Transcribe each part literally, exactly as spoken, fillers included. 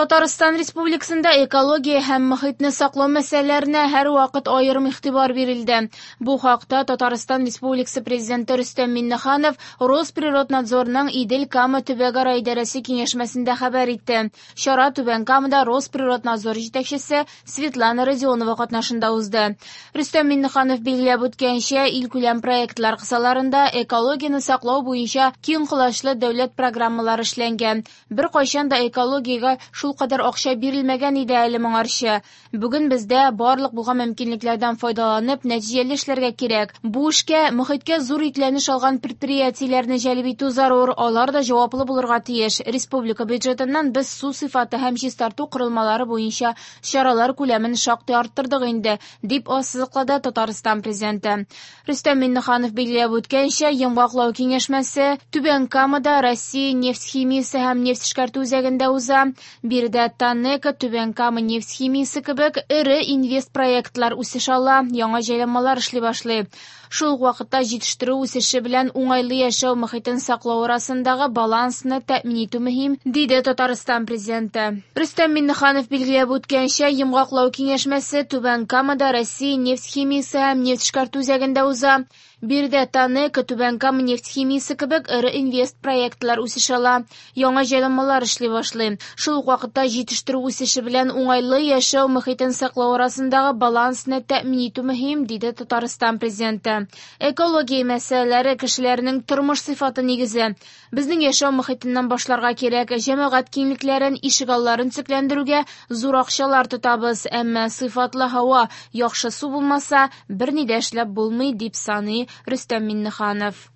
Татарстан Республикасында экология һәм мохитне саклау мәсьәләләренә һәрвакыт аерым игътибар бирелде. Бу хакта Татарстан Республикасы Президенты Рөстәм Миңнеханов Росприроднадзорның Идел-Кама төбәкара идарәсе киңәшмәсендә хәбәр итте. Чара Түбән Камада Росприроднадзор җитәкчесе Светлана Родионова катнашында узды. Рөстәм Миңнеханов билгеләп үткәнчә, илкүләм проектлар кысаларында экологияне саклау буенча киң колачлы дәүләт программалары эшләнгән. Беркайчан да экологиягә шул кадәр акча бирелмәгән иде әле моңарчы. Бүген бездә барлык булган мөмкинлекләрдән файдаланып, нәтиҗәле эшләргә кирәк. Бу эшкә мохиткә зур йөкләнеш алган предприятиеләрне җәлеп итү зарур, алар да җаваплы булырга тиеш. Республика бюджетыннан без су сыйфаты һәм чистарту корылмалары буенча чаралар күләмен шактый арттырдык инде, дип ассызыклады Татарстан Президенты. Рөстәм Миңнеханов билгеләп үткәнчә, йомгаклау киңәшмәсе Түбән Камада Россия нефть химиясе һәм нефть эшкәртү үзәгендә уза. Биредә ТАНЕКО, Түбән Кама нефть химиясе кебек эре инвестпроектлар үсеш ала, яңа җайланмалар эшли башлый. Шул ук вакытта җитештерү үсеше белән уңайлы яшәү мохитен саклау арасындагы балансны тәэмин итү мөһим, диде Татарстан Президенты. Рөстәм Миңнеханов билгеләп үткәнчә, йомгаклау киңәшмәсе Түбән Камада Россия нефть химиясе һәм нефть эшкәртү үзәгендә уза. Биредә ТАНЕКО, Түбән Кама нефть химиясе кебек эре инвестпроектлар үсеш ала, яңа җайланмалар эшли башлый. Шул ук вакытта җитештерү үсеше белән уңайлы яшәү мохитен саклау арасындагы балансны тәэмин итү мөһим, диде Татарстан Президенты. Экология мәсьәләләре кешеләрнең тормыш сыйфаты нигезе. Безнең яшәү мохитеннән башларга кирәк. Җәмәгать киңлекләрен, ишегалларын төзекләндерүгә зур акчалар тотабыз, әмма сыйфатлы һава, яхшы су булмаса, берни дә эшләп булмый, дип саный Рөстәм Миңнеханов.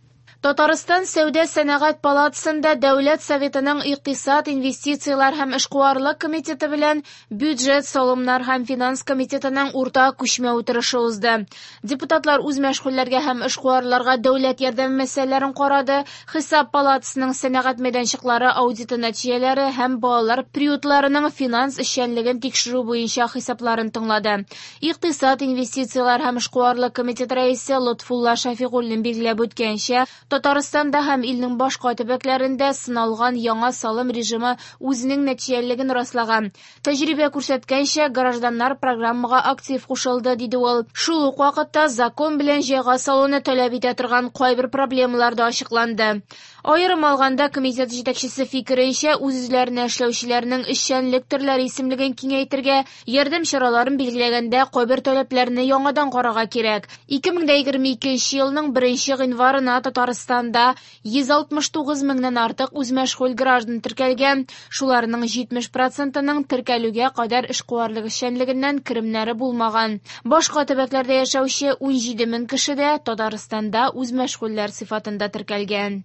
Татарстан Сәүдә сәнәгать палатасында Дәүләт Советының Икътисад, инвестицияләр һәм эшкуарлык комитеты белән Бюджет, салымнар һәм финанс комитетының уртак күчмә утырышы узды. Депутатлар үз мәшгульләргә һәм эшкуарларга дәүләт ярдәме мәсьәләләрен карады, Хисап палатасының сәнәгать мәйданчыклары аудиты нәтиҗәләре һәм балалар приютларының финанс эшчәнлеген тикшерү буенча хисапларын тыңлады. Икътисад, инвестицияләр һәм эшкуарлык комитеты рәисе Лотфулла Шәфигуллин билгеләп үткәнчә, Татарстанда һәм илнең башка төбәкләрендә сыналган яңа салым режимы үзенең нәтиҗәлелеген раслаган. Тәҗрибә күрсәткәнчә, гражданнар программага актив кушылды, диде ул. Шул ук вакытта закон белән җайга салуны таләп итә торган кайбер проблемалар да ачыкланды. Аерым алганда, комитет җитәкчесе фикеренчә, үз-үзләренә эшләүчеләрнең эшчәнлек төрләре исемлеген киңәйтергә, ярдәм чараларын билгеләгәндә кайбер таләпләрне яңадан карарга кирәк. ике мең егерме икенче елның беренче гыйнварына Татарстанда йөз алтмыш тугыз меңнән артык үзмәшгуль граждан теркәлгән, шуларның җитмеш процентының теркәлүгә кадәр эшкуарлык эшчәнлегеннән керемнәре булмаган. Башка төбәкләрдә яшәүче ун җиде мең кеше дә Татарстанда үзмәшгульләр сыйфатында теркәлгән.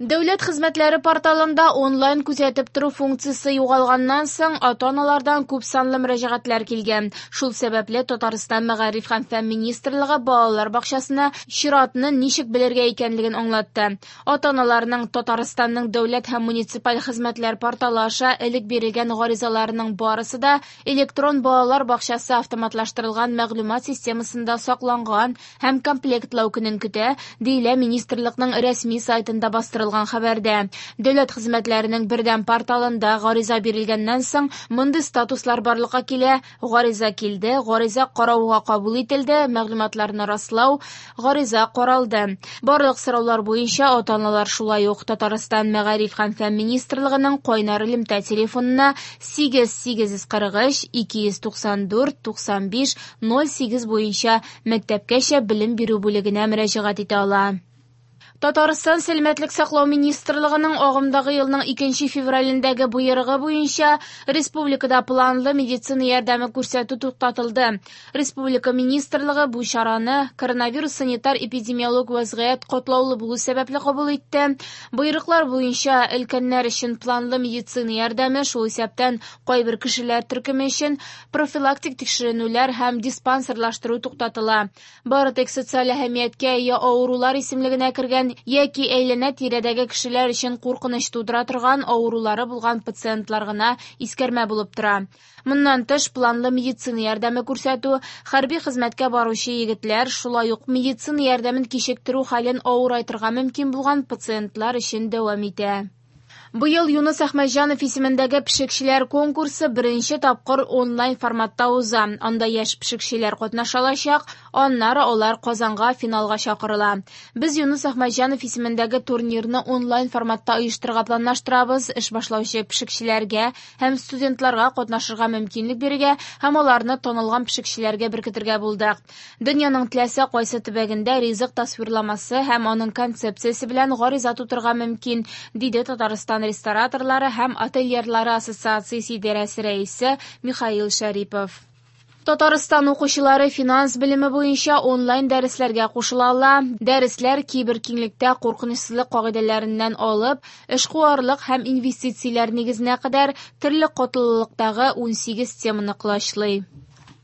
Дәүләт хезмәтләре порталында онлайн күзәтеп тору функциясе югалганнан соң ата-аналардан күп санлы мөрәҗәгатьләр килгән. Шул сәбәпле Татарстан Мәгариф һәм фән министрлыгы балалар бакчасына чиратны ничек белергә икәнлеген аңлатты. Ата-аналарның Татарстанның дәүләт һәм муниципаль хезмәтләр порталы аша элек бирелгән гаризаларының барысы да электрон балалар бакчасы автоматлаштырылган мәгълүмат системасында сакланган һәм комплектлау көнен көтә, диелә министрлыкның рәсми сайтында бастырылган хәбәрдә. Дәүләт хезмәтләренең бердәм порталында гариза бирелгәннән соң мондый статуслар барлыкка килә: гариза килде, гариза карауга кабул ителде, мәгълүматларны раслау, гариза каралды. Барлык сораулар буенча ата-аналар шулай ук Татарстан Мәгариф һәм фән министрлыгының кайнар элемтә телефонына сигез сигез йөз кырык өч ике йөз туксан дүрт туксан биш ноль сигез буенча мәктәпкәчә белем бирү бүлегенә мөрәҗәгать итә ала. Татарстан Сәламәтлек саклау министрлыгының агымдагы елның икенче февралендәге боерыгы буенча республикада планлы медицина ярдәме күрсәтү туктатылды. Республика министрлыгы бу чараны коронавирус санитар эпидемиологик вазгыять катлаулы булу сәбәпле кабул итте. Боерыклар буенча өлкәннәр өчен планлы медицина ярдәме, шул исәптән кайбер кешеләр төркеме өчен профилактик тикшеренүләр һәм диспансерлаштыру туктатыла. Бары тик социаль әһәмияткә ия авырулар исемлегенә кергән яки әйләнә-тирәдәге кешеләр өчен куркыныч тудыра торган авырулары булган пациентлар гына искәрмә булып тора. Моннан тыш, планлы медицина ярдәме күрсәтү, хәрби хезмәткә баручы егетләр, шулай ук медицина ярдәмен кичектерү хәлен авырайтырга мөмкин булган пациентлар өчен дәвам итә. Быел Юныс Әхмәтҗанов исемендәге пешекчеләр конкурсы беренче тапкыр онлайн форматта уза. Анда яшь пешекчеләр катнаша алачак, аннары алар Казанга финалга чакырыла. Без Юныс Әхмәтҗанов исемендәге турнирны онлайн форматта оештырырга планлаштырабыз. Эш башлаучы пешекчеләргә һәм студентларга катнашырга мөмкинлек бирергә һәм аларны танылган пешекчеләргә беркетергә булдык. Дөньяның теләсә кайсы төбәгендә ризык тасвирламасы һәм аның концепциясе белән гариза тутырырга мөмкин, диде Татарстан рестораторлары һәм отельерлары ассоциациясе идарәсе рәисе Михаил Шәрипов. Татарстан укучылары финанс белеме буенча онлайн дәресләргә кушыла ала. Дәресләр киберкиңлектә куркынычсызлык кагыйдәләреннән алып, эшкуарлык һәм инвестицияләр нигезенә кадәр төрле катлаулылыктагы унсигез теманы колачлый.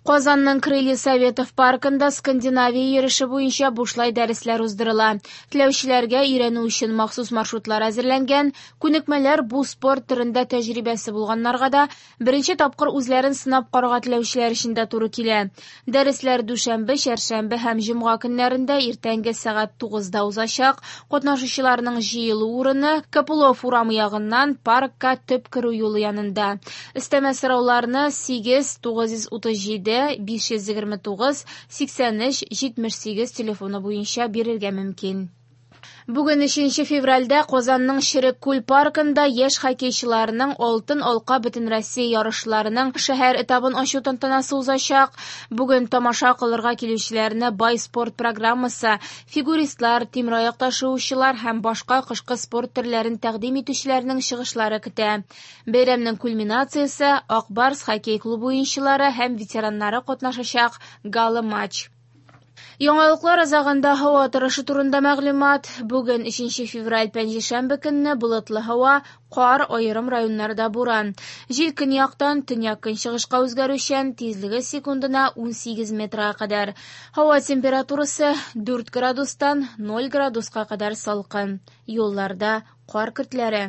Казанның Крылья Советов паркында Скандинавия йөреше буенча бушлай дәресләр уздырыла. Теләүчеләргә өйрәнү өчен махсус маршрутлар әзерләнгән. Күнекмәләр бу спорт төрендә тәҗрибәсе булганнарга да, беренче тапкыр үзләрен сынап карарга теләүчеләр өчен дә туры килә. Дәресләр дүшәмбе, чәршәмбе һәм җомга көннәрендә иртәнге сәгать тугызда узачак. Катнашучыларның җыелу урыны Копылов урамы ягыннан паркка төп керү юлы янында. Өстәмә сорауларны сигез тугыз йөз утыз җиде биш йөз егерме тугыз сиксән өч җитмеш сигез телефоны буенча бирергә мөмкин. Бүген өченче февральдә Казанның Черек күл паркында яшь хоккейчыларының Алтын алка Бөтенроссия ярышларының шәһәр этабын ачу тантанасы узачак. Бүген тамаша кылырга килүчеләрне бай спорт программасы, фигуристлар, тимераяк ташучылар һәм башка кышкы спорт төрләрен тәкъдим итүчеләрнең чыгышлары көтә. Бәйрәмнең кульминациясе Ак Барс хоккей клубы уенчылары һәм ветераннары катнашачак гала-матч. Яңалыклар азагында һава торышы турында мәгълүмат. Бүген өченче февраль пәнҗешәмбе көнне болытлы һава, кар, аерым районнарда буран. Җил көньяктан төньяк-көнчыгышка үзгәрүчән, тизлеге секундына унсигез метрга кадәр. Һава температурасы дүрт градустан ноль градуска кадәр салкын. Юлларда кар көртләре.